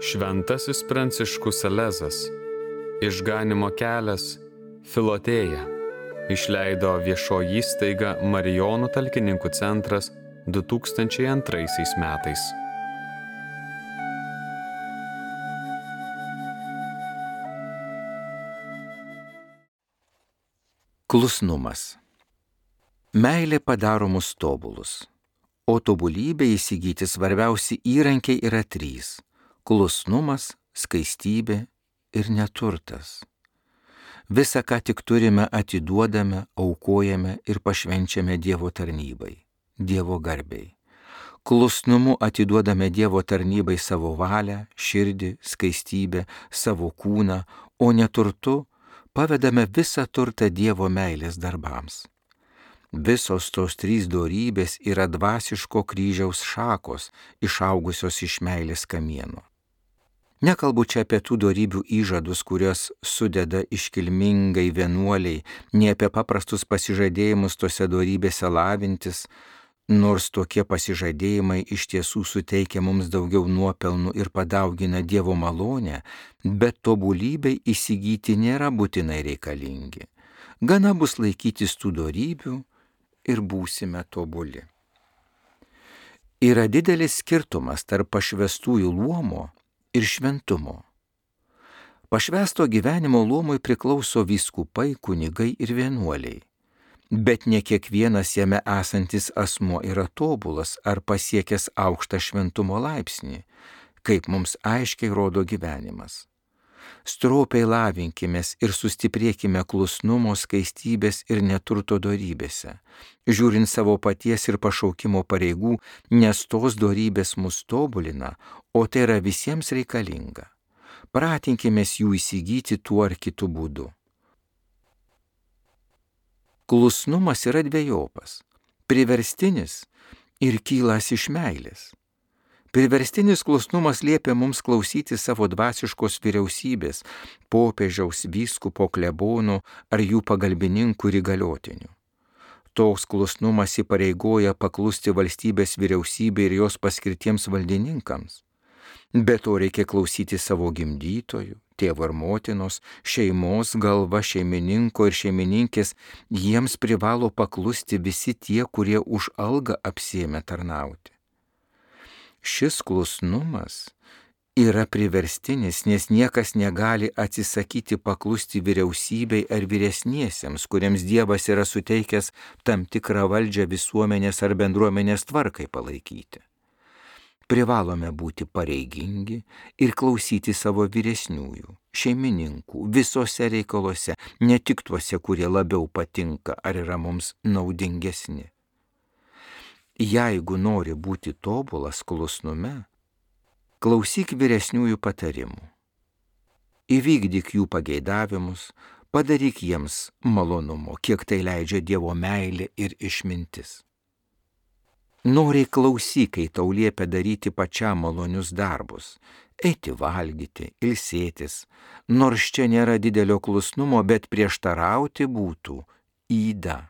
Šventasis Pranciškus Salezas, Išganymo kelias, Filotėja, išleido viešoji įstaiga Marijonų talkininkų centras 2002 metais. Klusnumas. Meilė padaro mus tobulus, o tobulybė įsigyti svarbiausi įrankiai yra 3 – klusnumas, skaistybė ir neturtas. Visa, ką tik turime, atiduodame, aukojame ir pašvenčiame Dievo tarnybai, Dievo garbei. Klusnumu atiduodame Dievo tarnybai savo valią, širdį, skaistybę, savo kūną, o neturtu pavedame visą turtą Dievo meilės darbams. Visos tos 3 dorybės yra dvasiško kryžiaus šakos, išaugusios iš meilės kamieno. Nekalbu čia apie tų dorybių įžadus, kurios sudeda iškilmingai vienuoliai, ne apie paprastus pasižadėjimus tose dorybėse lavintis, nors tokie pasižadėjimai iš tiesų suteikia mums daugiau nuopelnų ir padaugina Dievo malonę, bet tobulybei įsigyti nėra būtinai reikalingi. Gana bus laikytis tų dorybių ir būsime tobuli. Yra didelis skirtumas tarp pašvęstųjų luomo ir šventumo. Pašvęsto gyvenimo luomui priklauso vyskupai, kunigai ir vienuoliai. Bet ne kiekvienas jame esantis asmuo yra tobulas ar pasiekęs aukštą šventumo laipsnį, kaip mums aiškiai rodo gyvenimas. Stropiai lavinkimės ir sustiprėkime klusnumo, skaistybės ir neturto dorybėse, žiūrint savo paties ir pašaukimo pareigų, nes tos dorybės mus tobulina, o tai yra visiems reikalinga. Pratinkimės jų įsigyti tuo ar kitu būdu. Klusnumas yra dvejopas – priverstinis ir kylas iš meilės. Priverstinis klusnumas liepia mums klausyti savo dvasiškos vyriausybės, popiežiaus, vyskupo, klebonų ar jų pagalbininkų ir įgaliotinių. Toks klusnumas įpareigoja paklusti valstybės vyriausybei ir jos paskirtiems valdininkams. Be to reikia klausyti savo gimdytojų, tėvo ir motinos, šeimos galva, šeimininko ir šeimininkės, jiems privalo paklusti visi tie, kurie už algą apsiėmė tarnauti. Šis klusnumas yra priverstinis, nes niekas negali atsisakyti paklusti vyriausybei ar vyresniesiems, kuriems Dievas yra suteikęs tam tikrą valdžią visuomenės ar bendruomenės tvarkai palaikyti. Privalome būti pareigingi ir klausyti savo vyresniųjų, šeimininkų, visose reikaluose, ne tik tuose, kurie labiau patinka ar yra mums naudingesni. Jeigu nori būti tobulas klusnume, klausyk vyresniųjų patarimų. Įvykdyk jų pageidavimus, padaryk jiems malonumo, kiek tai leidžia Dievo meilė ir išmintis. Noriai klausyk, kai tau liepia daryti pačiam malonius darbus, eiti valgyti, ilsėtis, nors čia nėra didelio klusnumo, bet prieštarauti būtų yda.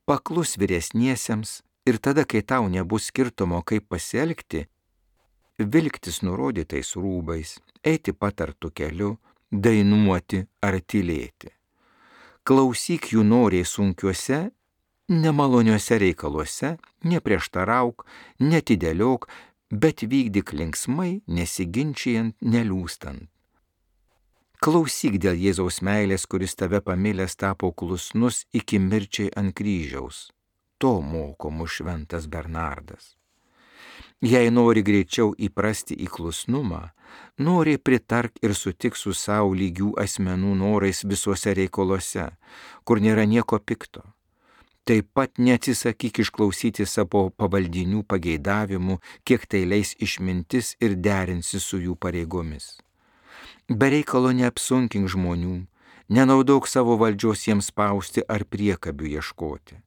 Paklus vyresniesiems ir tada, kai tau nebus skirtumo, kaip pasielgti, vilktis nurodytais rūbais, eiti patartu keliu, dainuoti ar tylėti. Klausyk jų noriai sunkiuose, nemaloniuose reikaluose, neprieštarauk, netidėliok, bet vykdyk linksmai, nesiginčijant, neliūstant. Klausyk dėl Jėzaus meilės, kuris tave pamilęs tapo klusnus iki mirčiai ant kryžiaus. To moko mus šventas Bernardas. Jei nori greičiau įprasti į klusnumą, nori pritark ir sutik su savo lygių asmenų norais visuose reikaluose, kur nėra nieko pikto. Taip pat neatsisakyk išklausyti savo pavaldinių pageidavimų, kiek tai leis išmintis ir derinsi su jų pareigomis. Be reikalo neapsunkink žmonių, nenaudok savo valdžios jiems spausti ar priekabių ieškoti.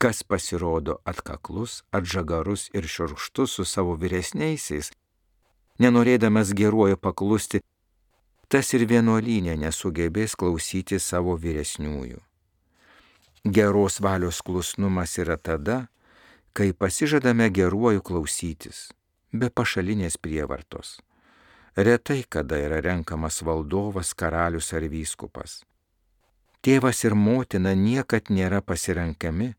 Kas pasirodo atkaklus, atžagarus ir šiurkštus su savo vyresniaisiais, nenorėdamas geruoju paklusti, tas ir vienuolyne nesugebės klausyti savo vyresniųjų. Geros valios klusnumas yra tada, kai pasižadame geruoju klausytis, be pašalinės prievartos. Retai kada yra renkamas valdovas, karalius ar vyskupas. Tėvas ir motina niekad nėra pasirenkami,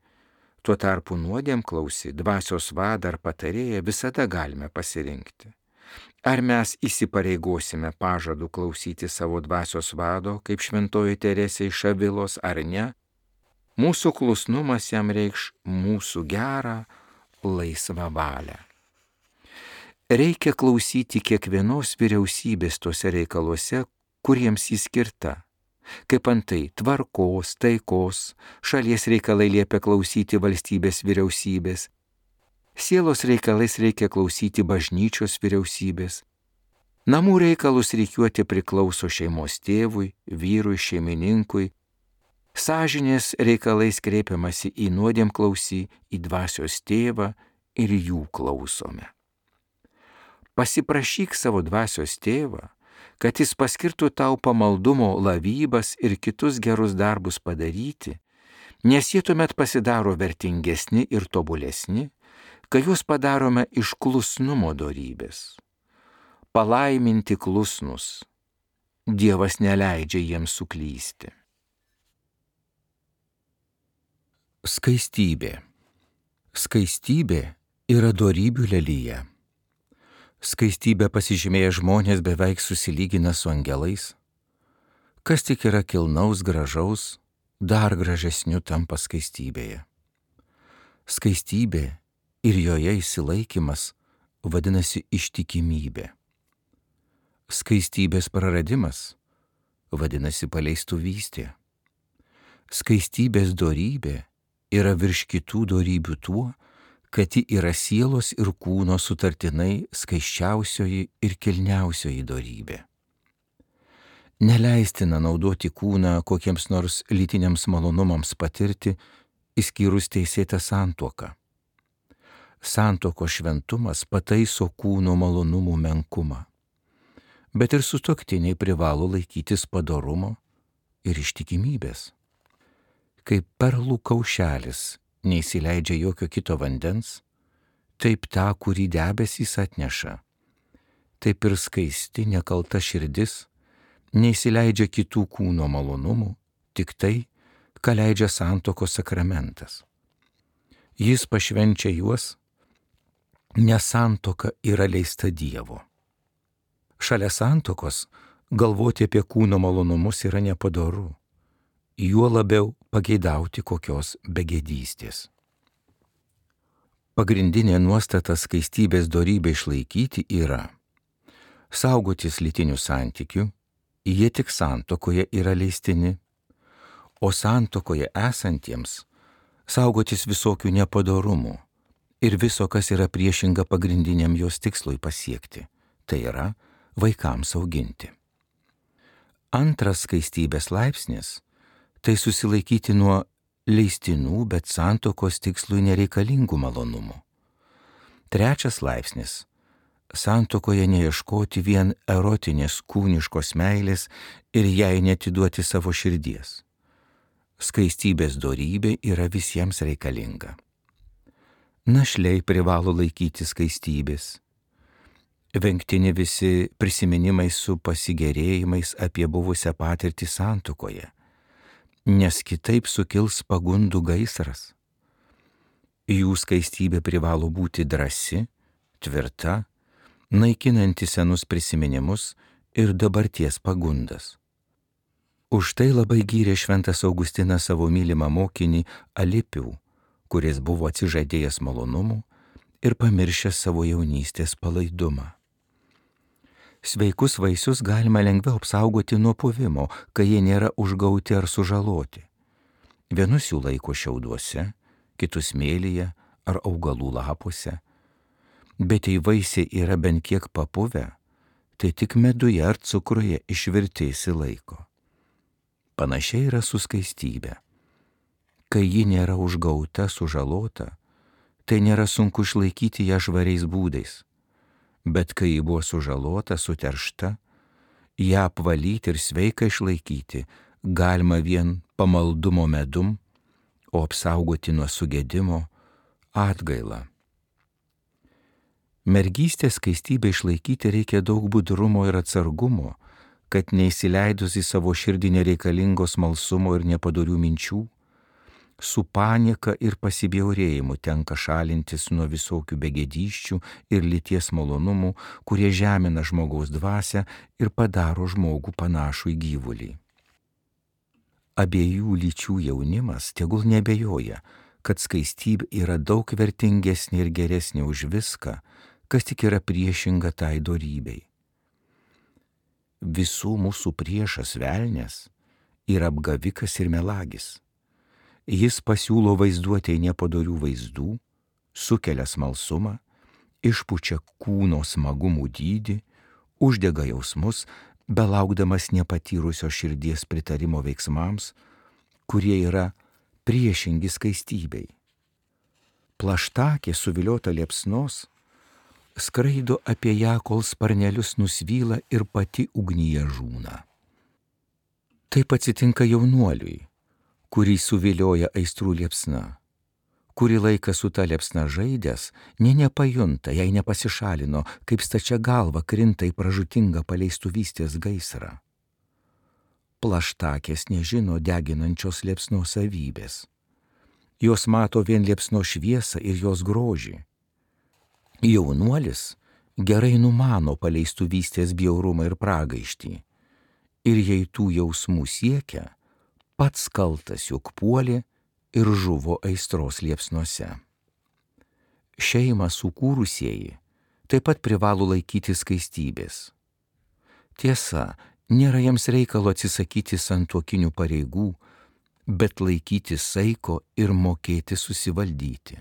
tuo tarpu nuodėmklausį, dvasios vadą ar patarėją visada galime pasirinkti. Ar mes įsipareigosime pažadu klausyti savo dvasios vado, kaip šventoji Teresė iš Avilos, ar ne? Mūsų klusnumas jam reikš mūsų gerą, laisvą valią. Reikia klausyti kiekvienos vyriausybės tose reikaluose, kuriems jis skirta. Kaip antai tvarkos, taikos, šalies reikalai liepia klausyti valstybės vyriausybės, sielos reikalais reikia klausyti bažnyčios vyriausybės, namų reikalus rikiuoti priklauso šeimos tėvui, vyrui, šeimininkui, sąžinės reikalais kreipiamasi į nuodėmklausį, į dvasios tėvą ir jų klausome. Pasiprašyk savo dvasios tėvą, kad jis paskirtų tau pamaldumo lavybas ir kitus gerus darbus padaryti, nes jie tuomet pasidaro vertingesni ir tobulesni, kai juos padarome iš klusnumo dorybės. Palaiminti klusnus, Dievas neleidžia jiems suklysti. Skaistybė. Skaistybė yra dorybių lelija. Skaistybė pasižymėję žmonės beveik susilygina su angelais. Kas tik yra kilnaus, gražaus, dar gražesniu tampa skaistybėje. Skaistybė ir joje išsilaikymas vadinasi ištikimybė. Skaistybės praradimas vadinasi paleistuvystė. Skaistybės dorybė yra virš kitų dorybių tuo, kad ji yra sielos ir kūno sutartinai skaisčiausioji ir kilniausioji dorybė. Neleistina naudoti kūną kokiems nors lytiniams malonumams patirti, išskyrus teisėtą santuoką. Santuokos šventumas pataiso kūno malonumų menkumą, bet ir sutuoktiniai privalo laikytis padorumo ir ištikimybės. Kaip perlų kaušelis neįsileidžia jokio kito vandens, taip tą, kurį debesys atneša. Taip ir skaisti, nekalta širdis neįsileidžia kitų kūno malonumų, tik tai, ką leidžia santuokos sakramentas. Jis pašvenčia juos, nes santuoka yra leista Dievo. Šalia santuokos galvoti apie kūno malonumus yra nepadoru, juo labiau pageidauti kokios begėdystės. Pagrindinė nuostata skaistybės dorybę išlaikyti yra saugotis lytinių santykių, jie tik santuokoje yra leistini, o santuokoje esantiems saugotis visokių nepadorumų ir viso, kas yra priešinga pagrindiniam jos tikslui pasiekti, tai yra vaikams auginti. Antras skaistybės laipsnis tai susilaikyti nuo leistinų, bet santuokos tikslui nereikalingų malonumų. Trečias laipsnis - santuokoje neieškoti vien erotinės kūniškos meilės ir jai netiduoti savo širdies. Skaistybės dorybė yra visiems reikalinga. Našliai privalo laikyti skaistybės. Vengtini visi prisiminimai su pasigėrėjimais apie buvusią patirtį santuokoje, nes kitaip sukils pagundų gaisras. Jų skaistybė privalo būti drąsi, tvirta, naikinanti senus prisiminimus ir dabarties pagundas. Už tai labai gyrė šventas Augustinas savo mylimą mokinį Alipių, kuris buvo atsižadėjęs malonumų ir pamiršęs savo jaunystės palaidumą. Sveikus vaisius galima lengviau apsaugoti nuo puvimo, kai jie nėra užgauti ar sužaloti. Vienus jų laiko šiauduose, kitus smėlyje ar augalų lapuose. Bet jei vaisiai yra bent kiek papuvę, tai tik meduje ar cukruje išvirti išsilaiko. Panašiai yra su skaistybė. Kai ji nėra užgauta, sužalota, tai nėra sunku išlaikyti ją švariais būdais. Bet kai ji buvo sužalota, suteršta, ją apvalyti ir sveiką išlaikyti galima vien pamaldumo medum, o apsaugoti nuo sugedimo atgaila. Mergystės skaistybę išlaikyti reikia daug budrumo ir atsargumo, kad neįsileidus į savo širdį nereikalingos smalsumo ir nepadorių minčių, su panieka ir pasibjaurėjimu tenka šalintis nuo visokių begėdysčių ir lyties malonumų, kurie žemina žmogaus dvasią ir padaro žmogų panašų į gyvulį. Abiejų lyčių jaunimas tegul nebejoja, kad skaistybė yra daug vertingesnė ir geresnė už viską, kas tik yra priešinga tai dorybei. Visų mūsų priešas velnias yra apgavikas ir melagis. Jis pasiūlo vaizduotėje nepadorių vaizdų, sukelia smalsumą, išpučia kūno smagumų dydį, uždega jausmus, belaukdamas nepatyrusio širdies pritarimo veiksmams, kurie yra priešingi skaistybei. Plaštakė suviliota liepsnos skraido apie ją, kol sparnelius nusvyla ir pati ugnyje žūna. Taip atsitinka jaunuoliui, kurį suvilioja aistrų liepsna. Kurį laiką su ta liepsna žaidęs, nepajunta, jei nepasišalino, kaip stačia galva krinta į pražūtingą paleistuvystės gaisrą. Plaštakės nežino deginančios liepsnos savybės. Jos mato vien liepsnos šviesą ir jos grožį. Jaunuolis gerai numano paleistuvystės bjaurumą ir pragaištį. Ir jei tų jausmų siekia, pats kaltas juk puolė ir žuvo aistros liepsnose. Šeimą sukūrusieji taip pat privalo laikyti skaistybės. Tiesa, nėra jiems reikalo atsisakyti santuokinių pareigų, bet laikyti saiko ir mokėti susivaldyti.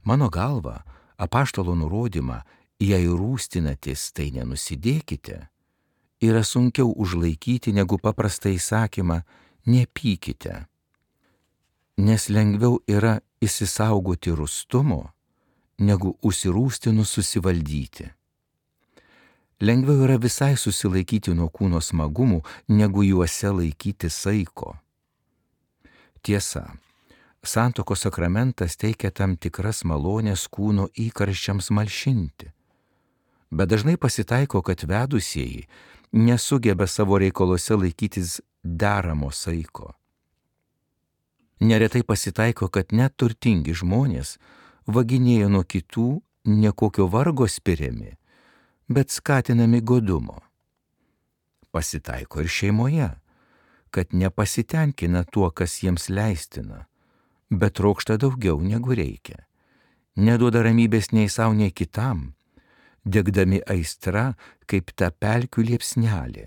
Mano galva, apaštalo nurodymą, jei rūstinatės, tai nenusidėkite, yra sunkiau užlaikyti negu paprastą įsakymą nepykite, nes lengviau yra įsisaugoti rūstumo, negu užsirūstinus susivaldyti. Lengviau yra visai susilaikyti nuo kūno smagumų, negu juose laikyti saiko. Tiesa, santuokos sakramentas teikia tam tikras malonės kūno įkarščiams malšinti, bet dažnai pasitaiko, kad vedusieji nesugeba savo reikaluose laikytis deramo saiko. Neretai pasitaiko, kad net turtingi žmonės vaginėja nuo kitų ne kokio vargo spiriami, bet skatinami godumo. Pasitaiko ir šeimoje, kad nepasitenkina tuo, kas jiems leistina, bet trokšta daugiau negu reikia. Neduoda ramybės nei savo, nei kitam, degdami aistra kaip ta pelkių liepsnelė,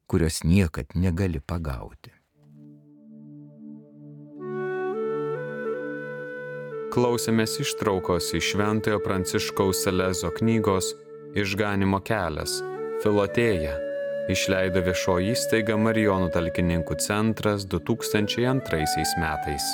kurios niekad negali pagauti. Klausėmės ištraukos iš Šventojo Pranciškaus Salezo knygos Išganymo kelias, Filotėja, išleido viešoji įstaiga Marijonų talkininkų centras 2002 metais.